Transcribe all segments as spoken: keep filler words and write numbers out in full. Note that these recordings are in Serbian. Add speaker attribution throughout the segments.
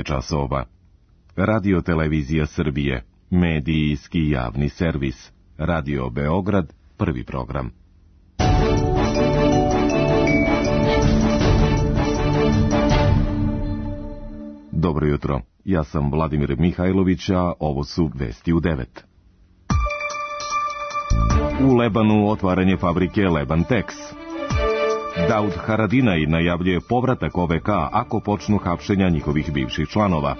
Speaker 1: časova. Radio Televizija Srbije, medijski javni servis. Radio Beograd, prvi program. Dobro jutro, ja sam Vladimir Mihajlović, a ovo su vesti u devet. U Lebanu otvaranje fabrike Lebantex. Daud Haradinaj najavljuje povratak O V K ako počnu hapšenja njihovih bivših članova.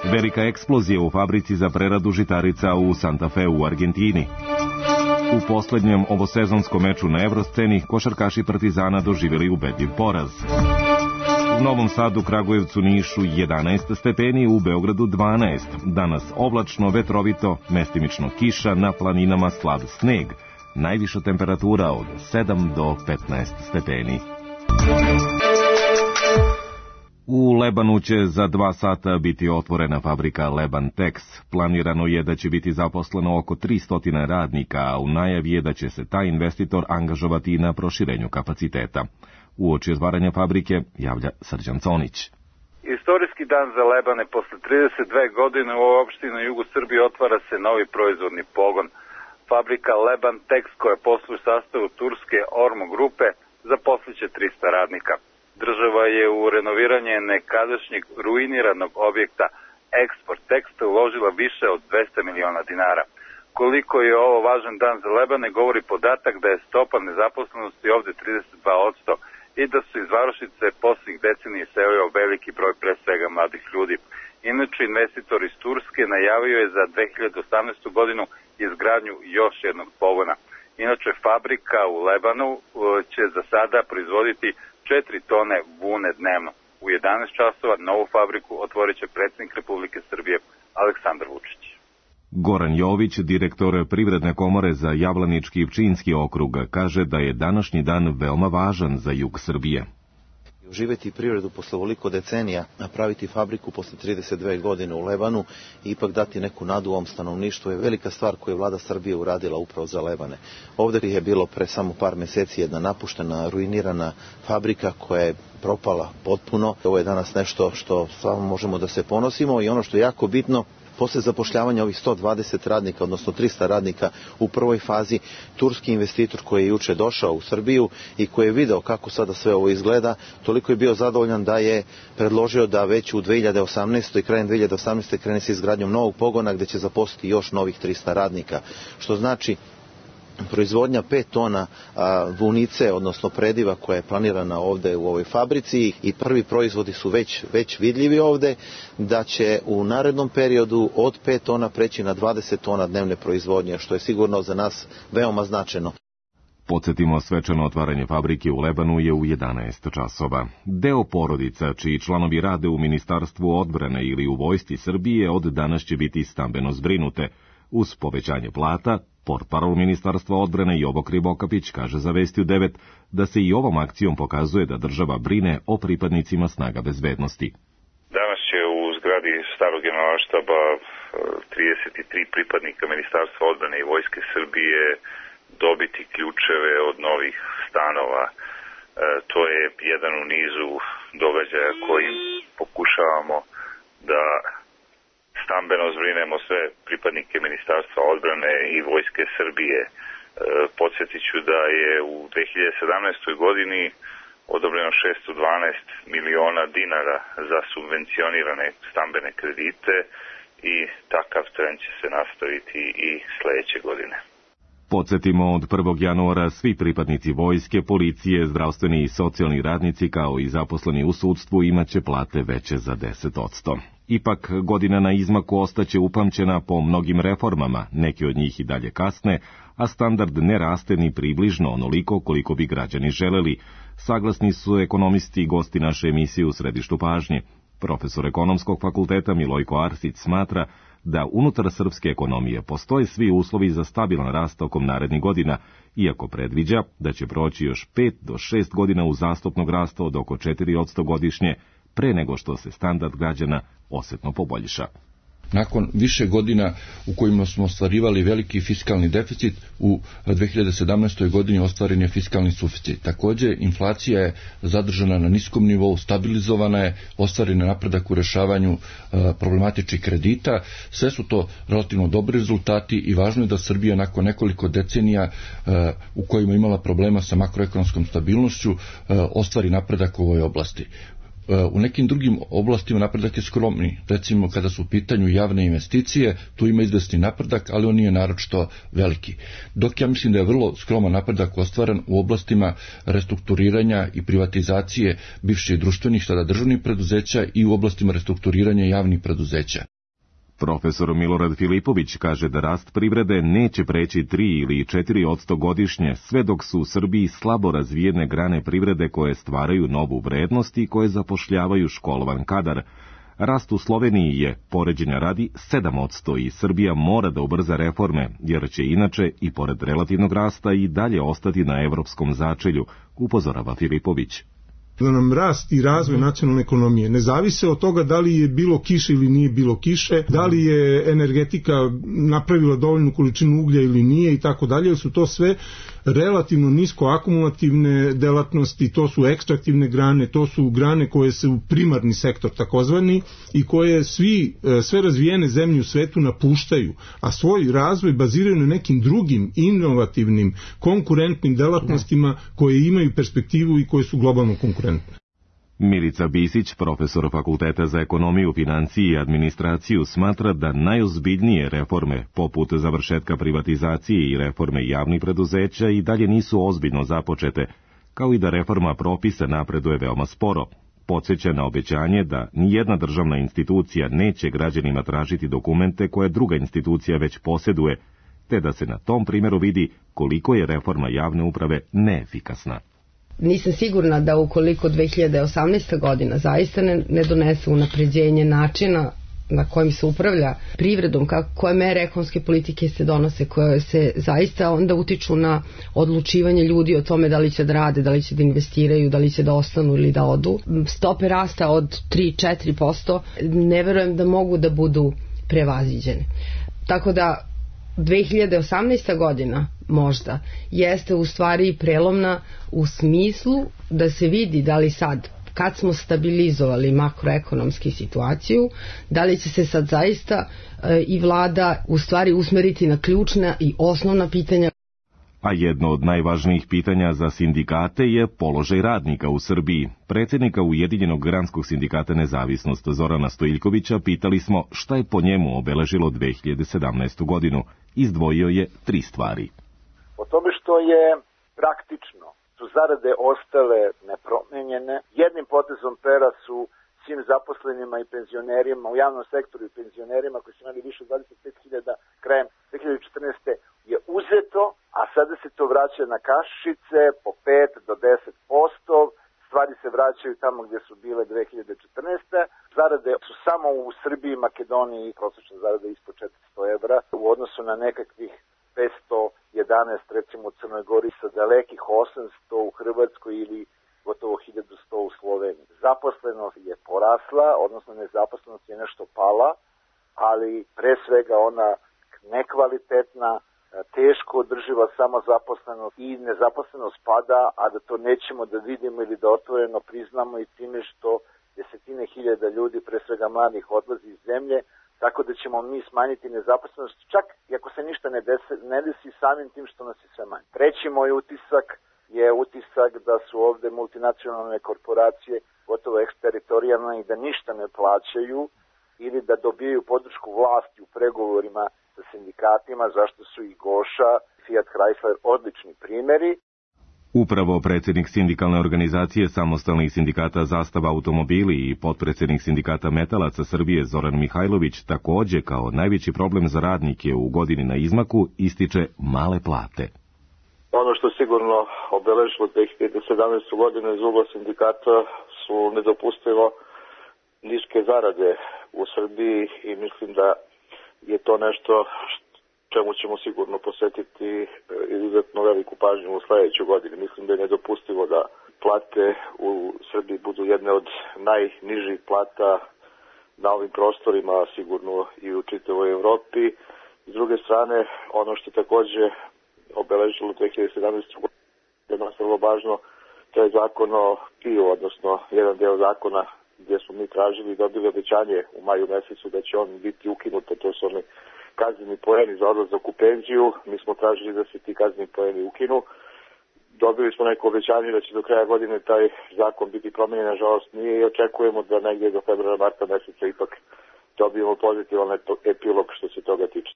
Speaker 1: Velika eksplozija u fabrici za preradu žitarica u Santa Fe u Argentini. U poslednjem ovosezonskom meču na Evrosceni košarkaši Partizana doživjeli ubedljiv poraz. U Novom Sadu, Kragujevcu, Nišu jedanaest stepeni, u Beogradu dvanaest. Danas oblačno, vetrovito, mestimično kiša, na planinama slab sneg. Najviša temperatura od sedam do petnaest stepeni. U Lebanu će za dva sata biti otvorena fabrika Lebantex. Planirano je da će biti zaposleno oko tristo radnika, a u najavi je da će se taj investitor angažovati na proširenju kapaciteta. Uoči otvaranja fabrike javlja Srđan Conić.
Speaker 2: Istorijski dan za Lebane. Posle trideset dve godine u ovoj opštini na jugu Srbije otvara se novi proizvodni pogon. Fabrika Lebantex, koja posluje u sastavu turske Ormo grupe, zaposliće trista radnika. Država je u renoviranje nekadašnjeg ruiniranog objekta Eksport Teksta uložila više od dvesta miliona dinara. Koliko je ovo važan dan za Lebane govori podatak da je stopa nezaposlenosti ovde trideset dva posto i da su iz varošice posljednjih decenija iselio veliki broj pre svega mladih ljudi. Inače, investitor iz Turske najavio je za dve hiljade osamnaestu godinu izgradnju još jednog pogona. Inače, fabrika u Lebanu će za sada proizvoditi četiri tone vune dnevno. U jedanaest časova novu fabriku otvorit će predsjednik Republike Srbije Aleksandar Vučić.
Speaker 1: Goran Jović, direktor Privredne komore za Jablanički i Pčinjski okrug, kaže da je današnji dan veoma važan za jug Srbije.
Speaker 3: Živeti privredu posle ovoliko decenija, napraviti fabriku posle trideset dve godine u Lebanu i ipak dati neku nadu ovom stanovništvu je velika stvar koju je vlada Srbije uradila upravo za Lebane. Ovdje je bilo pre samo par meseci jedna napuštena, ruinirana fabrika koja je propala potpuno. Ovo je danas nešto što stvarno možemo da se ponosimo i ono što je jako bitno, posle zapošljavanja ovih sto dvadeset radnika, odnosno trista radnika u prvoj fazi, turski investitor koji je juče došao u Srbiju i koji je video kako sada sve ovo izgleda, toliko je bio zadovoljan da je predložio da već u dve hiljade osamnaestoj i krajem dve hiljade osamnaeste krene se izgradnjom novog pogona gde će zaposliti još novih trista radnika. Što znači proizvodnja pet tona a, vunice, odnosno prediva koja je planirana ovde u ovoj fabrici i prvi proizvodi su već, već vidljivi ovde, da će u narednom periodu od pet tona preći na dvadeset tona dnevne proizvodnje, što je sigurno za nas veoma značajno.
Speaker 1: Podsjetimo, svečano otvaranje fabrike u Lebanu je u jedanaest časova. Deo porodica čiji članovi rade u Ministarstvu odbrane ili u Vojsci Srbije od danas će biti stambeno zbrinute. Uz povećanje plata, portparol Ministarstva odbrane Jovo Krivokapić kaže za Vesti u devet da se i ovom akcijom pokazuje da država brine o pripadnicima snaga bezbednosti.
Speaker 4: Danas će u zgradi starog generalštaba trideset tri pripadnika Ministarstva odbrane i Vojske Srbije dobiti ključeve od novih stanova. E, to je jedan u nizu događaja kojim pokušavamo da stambeno zbrinemo sve pripadnike Ministarstva odbrane i Vojske Srbije. E, podsjetit ću da je u dve hiljade sedamnaestoj godini odobreno šesto dvanaest miliona dinara za subvencionirane stambene kredite i takav trend će se nastaviti i sledeće godine.
Speaker 1: Podsjetimo, od prvog januara svi pripadnici vojske, policije, zdravstveni i socijalni radnici kao i zaposleni u sudstvu imaće plate veće za deset posto. Ipak, godina na izmaku ostaće upamćena po mnogim reformama, neke od njih i dalje kasne, a standard ne raste ni približno onoliko koliko bi građani želeli. Saglasni su ekonomisti i gosti naše emisije u središtu pažnje. Profesor ekonomskog fakulteta Milojko Arsić smatra da unutar srpske ekonomije postoje svi uslovi za stabilan rast tokom narednih godina, iako predviđa da će proći još pet do šest godina uzastopnog rasta od oko četiri posto godišnje, pre nego što se standard građana osetno poboljša.
Speaker 5: nakon više godina u kojima smo ostvarivali veliki fiskalni deficit, u dve hiljade sedamnaestoj godini ostvaren je fiskalni suficit. Također, inflacija je zadržana na niskom nivou, stabilizovana je, ostvaren je napredak u rešavanju problematičnih kredita. Sve su to relativno dobri rezultati i važno je da Srbija nakon nekoliko decenija u kojima je imala problema sa makroekonomskom stabilnošću ostvari napredak u ovoj oblasti. U nekim drugim oblastima napredak je skromni. Recimo kada su u pitanju javne investicije, tu ima izvesni napredak, ali on nije naročito veliki. Dok ja mislim da je vrlo skroman napredak ostvaren u oblastima restrukturiranja i privatizacije bivših društvenih, sada državnih preduzeća i u oblastima restrukturiranja javnih preduzeća.
Speaker 1: Profesor Milorad Filipović kaže da rast privrede neće preći tri ili četiri posto godišnje, sve dok su u Srbiji slabo razvijene grane privrede koje stvaraju novu vrednost i koje zapošljavaju školovan kadar. Rast u Sloveniji je, poređenja radi, sedam posto i Srbija mora da ubrza reforme, jer će inače i pored relativnog rasta i dalje ostati na evropskom začelju, upozorava Filipović.
Speaker 6: Da nam rast i razvoj nacionalne ekonomije ne zavise od toga da li je bilo kiše ili nije bilo kiše, da li je energetika napravila dovoljnu količinu uglja ili nije i tako dalje, jer su to sve relativno nisko akumulativne delatnosti, to su ekstraktivne grane, to su grane koje su primarni sektor takozvani i koje svi, sve razvijene zemlje u svetu napuštaju, a svoj razvoj baziraju na nekim drugim inovativnim, konkurentnim delatnostima koje imaju perspektivu i koje su globalno konkurentne.
Speaker 1: Milica Bisić, profesor Fakulteta za ekonomiju, financije i administraciju, smatra da najozbiljnije reforme, poput završetka privatizacije i reforme javnih preduzeća, i dalje nisu ozbiljno započete, kao i da reforma propisa napreduje veoma sporo. Podsjeća na obećanje da nijedna državna institucija neće građanima tražiti dokumente koje druga institucija već posjeduje, te da se na tom primjeru vidi koliko je reforma javne uprave neefikasna.
Speaker 7: Nisam sigurna da ukoliko dve hiljade osamnaesta godina zaista ne, ne donese unapređenje načina na kojim se upravlja privredom, kako, koje mere ekonomske politike se donose, koje se zaista onda utiču na odlučivanje ljudi o tome da li će da rade, da li će da investiraju, da li će da ostanu ili da odu. Stope rasta od tri do četiri posto ne verujem da mogu da budu prevaziđene. Tako da dve hiljade osamnaesta godina možda jeste u stvari prelomna u smislu da se vidi da li sad, kad smo stabilizovali makroekonomsku situaciju, da li će se sad zaista e, i vlada u stvari usmeriti na ključna i osnovna pitanja.
Speaker 1: A jedno od najvažnijih pitanja za sindikate je položaj radnika u Srbiji. Predsjednika Ujedinjenog granskog sindikata Nezavisnost Zorana Stojiljkovića pitali smo šta je po njemu obeležilo dve hiljade sedamnaestu godinu. Izdvojio je tri stvari.
Speaker 8: Po tome što je praktično su zarade ostale nepromenjene, jednim potezom pera su svim zaposlenima i penzionerima u javnom sektoru i penzionerima koji su imali više od dvadeset pet hiljada krajem dve hiljade četrnaeste. je uzeto, a sada se to vraća na kašice po pet do deset posto. Stvari se vraćaju tamo gdje su bile dve hiljade četrnaeste. Zarade su samo u Srbiji i Makedoniji prosječna zarada ispod četiristo evra u odnosu na nekakvih petsto jedanaest recimo u Crnoj Gori, sa dalekih osamsto u Hrvatskoj ili gotovo hiljadu sto u Sloveniji. Zaposlenost je porasla, odnosno nezaposlenost je nešto pala, ali pre svega ona nekvalitetna, teško održiva samozaposlenost i nezaposlenost pada, a da to nećemo da vidimo ili da otvoreno priznamo i time što desetine hiljada ljudi, pre svega mladih, odlazi iz zemlje, tako da ćemo mi smanjiti nezaposlenost, čak i ako se ništa ne desi, ne desi samim tim što nas je sve manje. Treći moj utisak je utisak da su ovde multinacionalne korporacije gotovo eksteritorijalne i da ništa ne plaćaju ili da dobijaju podršku vlasti u pregovorima sa sindikatima, zašto su i Goša, Fiat Chrysler odlični primjeri.
Speaker 1: Upravo predsjednik sindikalne organizacije samostalnih sindikata Zastava automobili i potpredsjednik sindikata Metalaca Srbije Zoran Mihajlović također kao najveći problem za radnike u godini na izmaku ističe male plate.
Speaker 9: Ono što sigurno obeležilo dve hiljade sedamnaestu. godinu iz ugla sindikata su nedopustivo niske zarade u Srbiji i mislim da je to nešto čemu ćemo sigurno posvetiti izuzetno veliku pažnju u sljedećoj godini. Mislim da je nedopustivo da plate u Srbiji budu jedne od najnižih plata na ovim prostorima, sigurno i u čitavoj Evropi. S druge strane, ono što takođe obeležilo dve hiljade sedamnaeste. godine je nas vrlo važno, to je zakon o piju, odnosno jedan deo zakona gdje smo mi tražili i dobili obećanje u maju mesecu da će on biti ukinut, to su oni kazneni poeni za odlazak u penziju. Mi smo tražili da se ti kazneni poeni ukinu. Dobili smo neko obećanje da će do kraja godine taj zakon biti promenjen, nažalost nije, i očekujemo da negdje do februara marta meseca ipak dobijemo pozitivan epilog što se toga tiče.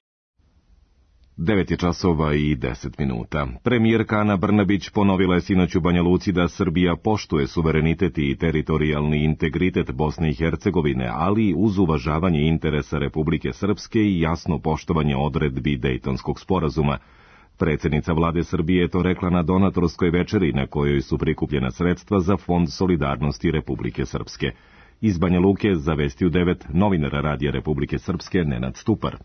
Speaker 1: devet je časova i deset minuta. Premijerka Ana Brnabić ponovila je sinoć u Banja Luci da Srbija poštuje suverenitet i teritorijalni integritet Bosne i Hercegovine, ali uz uvažavanje interesa Republike Srpske i jasno poštovanje odredbi Dejtonskog sporazuma. Predsjednica vlade Srbije je to rekla na donatorskoj večeri na kojoj su prikupljena sredstva za Fond solidarnosti Republike Srpske. Iz Banja Luke zavestio devet novinara Radija Republike Srpske Nenad Stupar.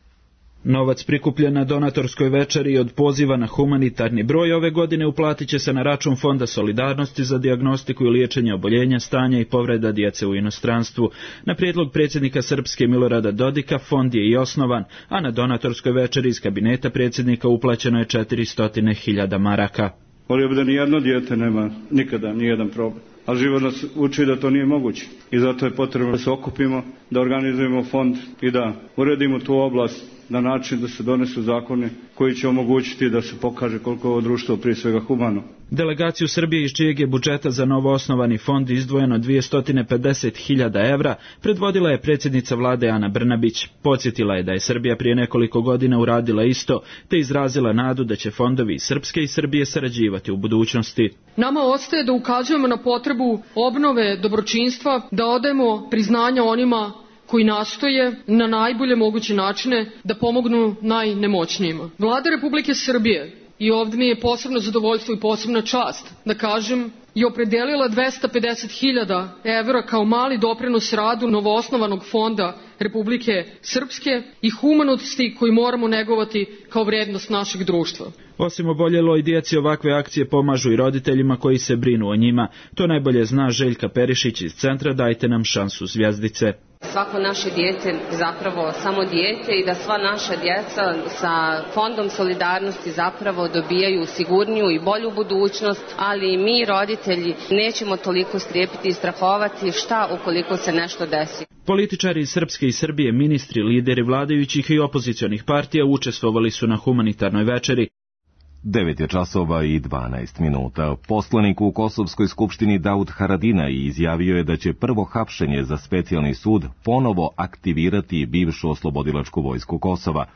Speaker 10: Novac prikupljen na donatorskoj večeri od poziva na humanitarni broj ove godine uplatit će se na račun Fonda solidarnosti za dijagnostiku i liječenje oboljenja, stanja i povreda djece u inostranstvu. Na prijedlog predsjednika Srpske Milorada Dodika fond je i osnovan, a na donatorskoj večeri iz kabineta predsjednika uplaćeno je četiristo hiljada maraka.
Speaker 11: Volio bi da nijedno dijete nema nikada nijedan problem, ali život nas uči da to nije moguće i zato je potrebno da se okupimo, da organizujemo fond i da uredimo tu oblast na način da se donesu zakone koji će omogućiti da se pokaže koliko ovo društvo prije svega humano.
Speaker 10: Delegaciju Srbije iz čijeg je budžeta za novo osnovani fond izdvojeno dvjesto pedeset hiljada evra predvodila je predsjednica vlade Ana Brnabić. Podsjetila je da je Srbija prije nekoliko godina uradila isto, te izrazila nadu da će fondovi iz Srpske i Srbije sarađivati u budućnosti.
Speaker 12: Nama ostaje da ukazujemo na potrebu obnove dobročinstva, da odajemo priznanja onima koji nastoje na najbolje moguće načine da pomognu najnemoćnijima. Vlada Republike Srbije, i ovdje mi je posebno zadovoljstvo i posebna čast da kažem, je opredelila dvesta pedeset hiljada evra kao mali doprinos radu novoosnovanog fonda Republike Srpske i humanosti koji moramo negovati kao vrednost našeg društva.
Speaker 10: Osim oboljeloj djeci, ovakve akcije pomažu i roditeljima koji se brinu o njima. To najbolje zna Željka Perišić iz centra Dajte nam šansu zvjezdice.
Speaker 13: Svako naše dijete zapravo samo dijete i da sva naša djeca sa Fondom solidarnosti zapravo dobijaju sigurniju i bolju budućnost, ali mi roditelji nećemo toliko strepiti i strahovati šta ukoliko se nešto desi.
Speaker 10: Političari iz Srpske i Srbije, ministri, lideri vladajućih i opozicionih partija učestvovali su na humanitarnoj večeri.
Speaker 1: devet je časova i dvanaest minuta. Poslanik u Kosovskoj skupštini Daud Haradinaj izjavio je da će prvo hapšenje za specijalni sud ponovo aktivirati bivšu oslobodilačku vojsku Kosova.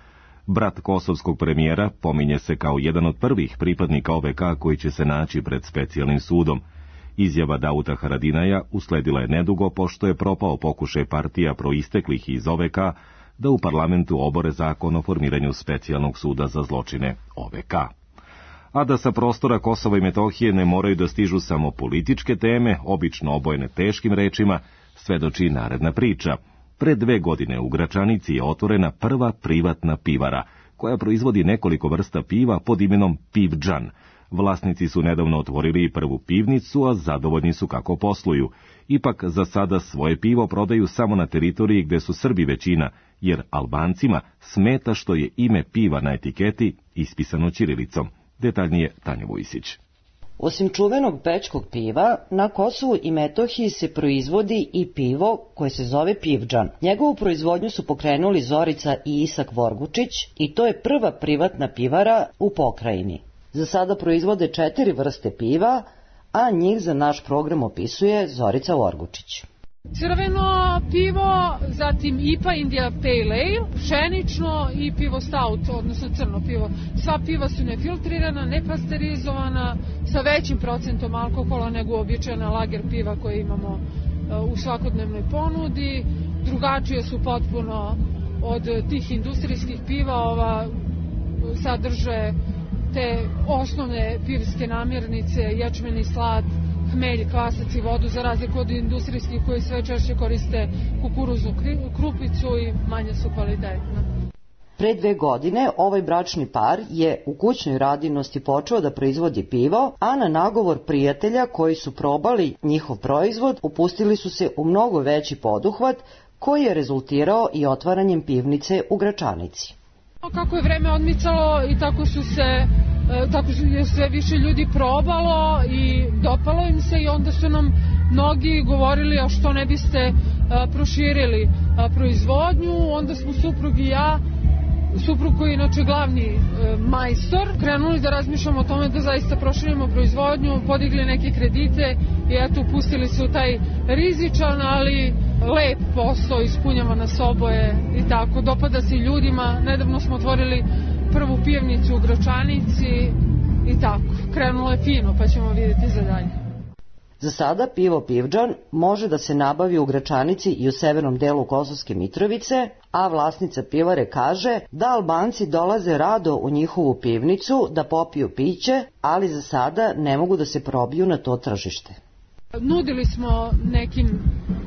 Speaker 1: Brat kosovskog premijera pominje se kao jedan od prvih pripadnika O V K koji će se naći pred specijalnim sudom. Izjava Dauda Haradinaja usledila je nedugo pošto je propao pokušaj partija proisteklih iz O V K da u parlamentu obore zakon o formiranju specijalnog suda za zločine O V K. A da sa prostora Kosova i Metohije ne moraju da stižu samo političke teme, obično obojene teškim rečima, svedoči naredna priča. Pre dve godine u Gračanici je otvorena prva privatna pivara, koja proizvodi nekoliko vrsta piva pod imenom Pivdžan. Vlasnici su nedavno otvorili prvu pivnicu, a zadovoljni su kako posluju. Ipak za sada svoje pivo prodaju samo na teritoriji gde su Srbi većina, jer Albancima smeta što je ime piva na etiketi ispisano ćirilicom. Detaljnije Tanja Vujsić.
Speaker 14: Osim čuvenog bečkog piva, na Kosovu i Metohiji se proizvodi i pivo koje se zove Pivdžan. Njegovu proizvodnju su pokrenuli Zorica i Isak Vorgučić i to je prva privatna pivara u pokrajini. Za sada proizvode četiri vrste piva, a njih za naš program opisuje Zorica Vorgučić.
Speaker 15: Crveno pivo, zatim I P A India Pale Ale, pšenično i pivo stout, odnosno crno pivo. Sva piva su nefiltrirana, nepasterizovana, sa većim procentom alkohola nego uobičajena lager piva koje imamo u svakodnevnoj ponudi. Drugačije su potpuno od tih industrijskih piva, ova sadrže te osnovne pivske namirnice, ječmeni slad, hmelj, kvasac i vodu, za razliku od industrijskih koji sve češće koriste kukuruznu krupicu i manje su kvalitetne.
Speaker 14: Pre dve godine ovaj bračni par je u kućnoj radinosti počeo da proizvodi pivo, a na nagovor prijatelja koji su probali njihov proizvod upustili su se u mnogo veći poduhvat koji je rezultirao i otvaranjem pivnice u Gračanici.
Speaker 15: Kako je vreme odmicalo i tako su se tako je sve više ljudi probalo i dopalo im se i onda su nam mnogi govorili a što ne biste proširili proizvodnju, onda smo suprug i ja, suprug koji je inače glavni majstor, krenuli da razmišljamo o tome da zaista proširimo proizvodnju, podigli neke kredite i eto upustili se u taj rizičan, ali lep posao, ispunjava nas oboje i tako, dopada se ljudima. Nedavno smo otvorili prvu pivnicu u Gračanici i tako, krenulo je fino pa ćemo vidjeti za dalje.
Speaker 14: Za sada pivo Pivdžan može da se nabavi u Gračanici i u severnom delu Kosovske Mitrovice, a vlasnica pivare kaže da Albanci dolaze rado u njihovu pivnicu da popiju piće, ali za sada ne mogu da se probiju na to tržište.
Speaker 15: Nudili smo nekim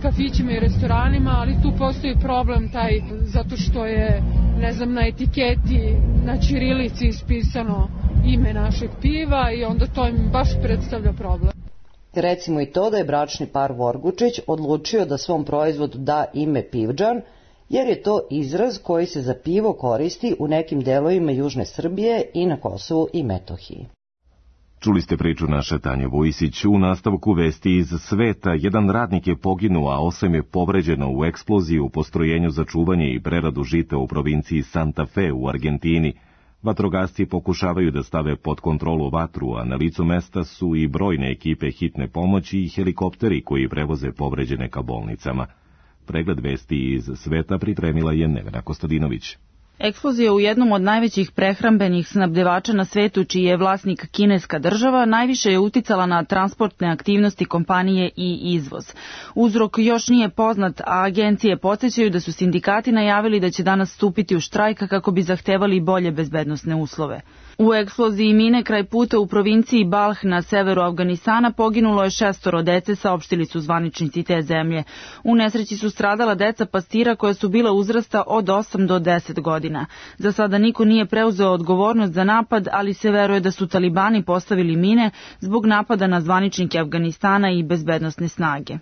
Speaker 15: kafićima i restoranima, ali tu postoji problem taj zato što je, ne znam, na etiketi na ćirilici ispisano ime našeg piva i onda to im baš predstavlja problem.
Speaker 14: Recimo i to da je bračni par Vorgučić odlučio da svom proizvodu da ime Pivdžan, jer je to izraz koji se za pivo koristi u nekim delovima južne Srbije i na Kosovu i Metohiji.
Speaker 1: Čuli ste priču naše Tanje Vojsić. U nastavku vesti iz sveta, jedan radnik je poginuo, a osam je povređeno u eksploziji u postrojenju za čuvanje i preradu žita u provinciji Santa Fe u Argentini. Vatrogasci pokušavaju da stave pod kontrolu vatru, a na licu mesta su i brojne ekipe hitne pomoći i helikopteri koji prevoze povređene ka bolnicama. Pregled vesti iz sveta pripremila je Nevena Kostadinović.
Speaker 16: Eksplozija u jednom od najvećih prehrambenih snabdevača na svetu, čiji je vlasnik kineska država, najviše je uticala na transportne aktivnosti kompanije i izvoz. Uzrok još nije poznat, a agencije podsjećaju da su sindikati najavili da će danas stupiti u štrajk kako bi zahtevali bolje bezbednosne uslove. U eksploziji mine kraj puta u provinciji Balh na severu Afganistana poginulo je šestoro dece, saopštili su zvaničnici te zemlje. U nesreći su stradala deca pastira koja su bila uzrasta od osam do deset godina. Za sada niko nije preuzeo odgovornost za napad, ali se veruje da su talibani postavili mine zbog napada na zvaničnike Afganistana i bezbednosne snage.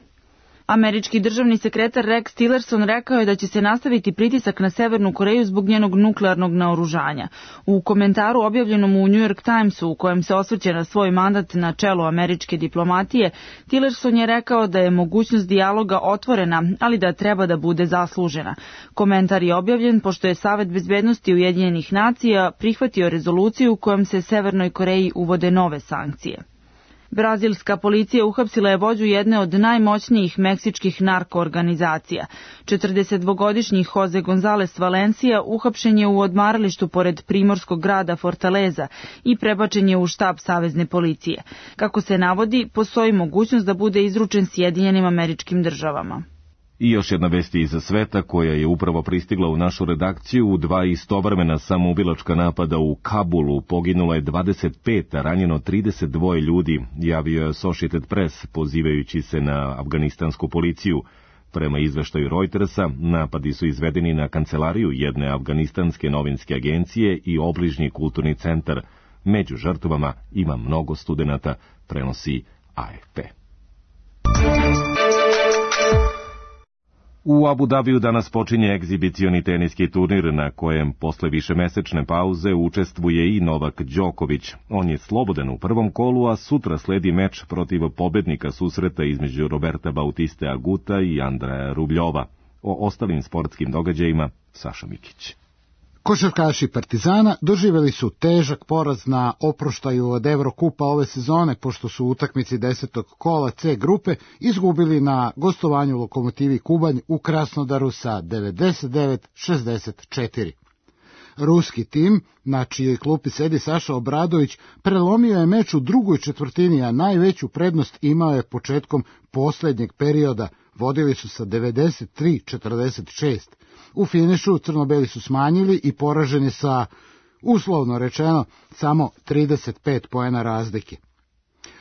Speaker 16: Američki državni sekretar Rex Tillerson rekao je da će se nastaviti pritisak na Severnu Koreju zbog njenog nuklearnog naoružanja. U komentaru objavljenom u New York Timesu, u kojem se osvrće na svoj mandat na čelu američke diplomatije, Tillerson je rekao da je mogućnost dijaloga otvorena, ali da treba da bude zaslužena. Komentar je objavljen pošto je Savet bezbednosti Ujedinjenih nacija prihvatio rezoluciju kojom se Severnoj Koreji uvode nove sankcije. Brazilska policija uhapsila je vođu jedne od najmoćnijih meksičkih narkoorganizacija. četrdesetdvogodišnji Jose González Valencia uhapšen je u odmaralištu pored primorskog grada Fortaleza i prebačen je u štab savezne policije. Kako se navodi, postoji mogućnost da bude izručen Sjedinjenim Američkim Državama.
Speaker 1: I još jedna vest iz sveta koja je upravo pristigla u našu redakciju. U dva istovremena samoubilačka napada u Kabulu poginulo je dvadeset pet, a ranjeno trideset dva ljudi, javio je Associated Press pozivajući se na afganistansku policiju. Prema izveštaju Reutersa, napadi su izvedeni na kancelariju jedne afganistanske novinske agencije i obližnji kulturni centar. Među žrtvama ima mnogo studenata, prenosi A F P. U Abu Dabiju danas počinje egzibicioni teniski turnir na kojem posle višemesečne pauze učestvuje i Novak Đoković. On je slobodan u prvom kolu, a sutra sledi meč protiv pobednika susreta između Roberta Bautiste Aguta i Andreja Rubljova. O ostalim sportskim događajima Saša Mikić.
Speaker 17: Košarkaši Partizana doživjeli su težak poraz na oproštaju od Evrokupa ove sezone, pošto su u utakmici desetog kola C grupe izgubili na gostovanju Lokomotivi Kubanj u Krasnodaru sa devedeset devet šezdeset četiri. Ruski tim, na čijoj klupi sedi Saša Obradović, prelomio je meč u drugoj četvrtini, a najveću prednost imao je početkom posljednjeg perioda. Vodili su sa devedeset tri četrdeset šest. U finišu crnobeli su smanjili i poraženi sa, uslovno rečeno, samo trideset pet poena razlike.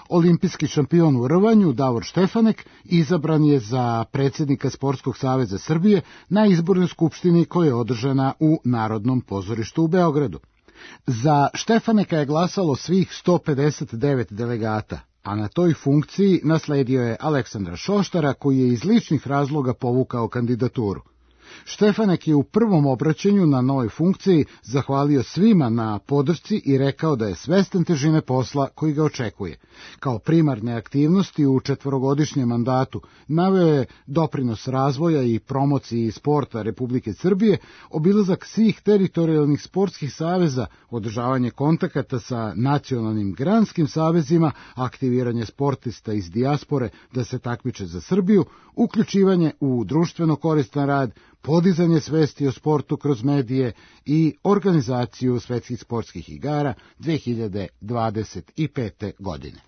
Speaker 17: Olimpijski šampion u rvanju Davor Štefanek izabran je za predsjednika Sportskog saveza Srbije na izbornoj skupštini koja je održana u Narodnom pozorištu u Beogradu. Za Štefaneka je glasalo svih sto pedeset devet delegata, a na toj funkciji nasledio je Aleksandra Šoštara, koji je iz ličnih razloga povukao kandidaturu. Štefanek je u prvom obraćanju na novoj funkciji zahvalio svima na podršci i rekao da je svestan težine posla koji ga očekuje. Kao primarne aktivnosti u četvorogodišnjem mandatu naveo je doprinos razvoja i promociji sporta Republike Srbije, obilazak svih teritorijalnih sportskih saveza, održavanje kontakata sa nacionalnim granskim savezima, aktiviranje sportista iz dijaspore da se takmiče za Srbiju, uključivanje u društveno koristan rad, podizanje svesti o sportu kroz medije i organizaciju svetskih sportskih igara dve hiljade dvadeset pete. godine.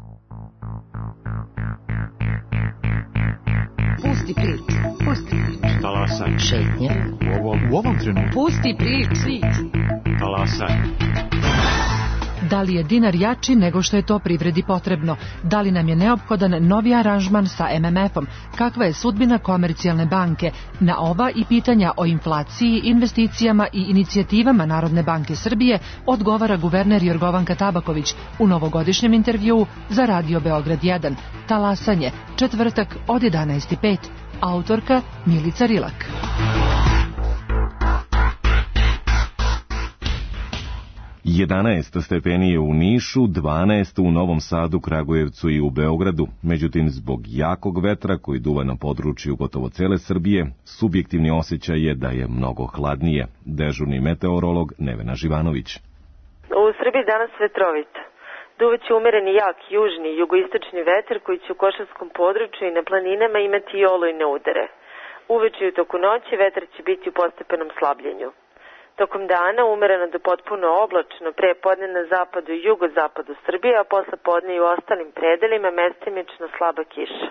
Speaker 18: Pusti priču, pusti priču.
Speaker 19: Talasaj.
Speaker 18: Šetnje.
Speaker 19: U ovom, u ovom trenutku.
Speaker 18: Pusti priču.
Speaker 19: Talasaj.
Speaker 20: Da li je dinar jači nego što je to privredi potrebno? Da li nam je neophodan novi aranžman sa em em efom? Kakva je sudbina Komercijalne banke? Na ova i pitanja o inflaciji, investicijama i inicijativama Narodne banke Srbije odgovara guverner Jorgovanka Tabaković u novogodišnjem intervjuu za Radio Beograd jedan. Talasanje, četvrtak od jedanaest i pet. Autorka Milica Rilak.
Speaker 1: jedanaest stepeni je u Nišu, dvanaest u Novom Sadu, Kragujevcu i u Beogradu. Međutim, zbog jakog vetra koji duva na području gotovo cele Srbije, subjektivni osjećaj je da je mnogo hladnije. Dežurni meteorolog Nevena Živanović.
Speaker 21: U Srbiji danas vetrovito. Duvaće umereni jak južni jugoistočni vetar koji će u košarskom području i na planinama imati i olujne udare. Uveče i u toku noći vetar će biti u postepenom slabljenju. Tokom dana umereno do potpuno oblačno, pre podne na zapadu i jugozapadu Srbije, a posle podne i u ostalim predelima mestimično slaba kiša.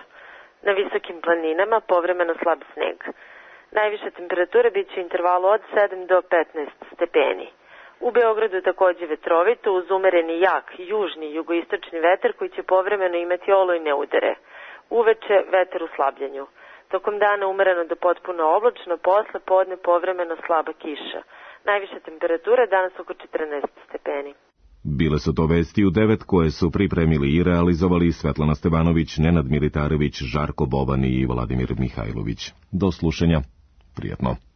Speaker 21: Na visokim planinama povremeno slab sneg. Najviša temperatura biće u intervalu od sedam do petnaest stepeni. U Beogradu takođe vetrovito uz umereni jak južni jugoistočni vetar koji će povremeno imati olujne udare. Uveče vetar u slabljenju. Tokom dana umereno do potpuno oblačno, posle podne povremeno slaba kiša. Najviša temperatura danas oko četrnaest stepeni.
Speaker 1: Bile su to vesti u devet koje su pripremili i realizovali Svetlana Stevanović, Nenad Militarević, Žarko Boban i Vladimir Mihajlović. Do slušanja. Prijatno.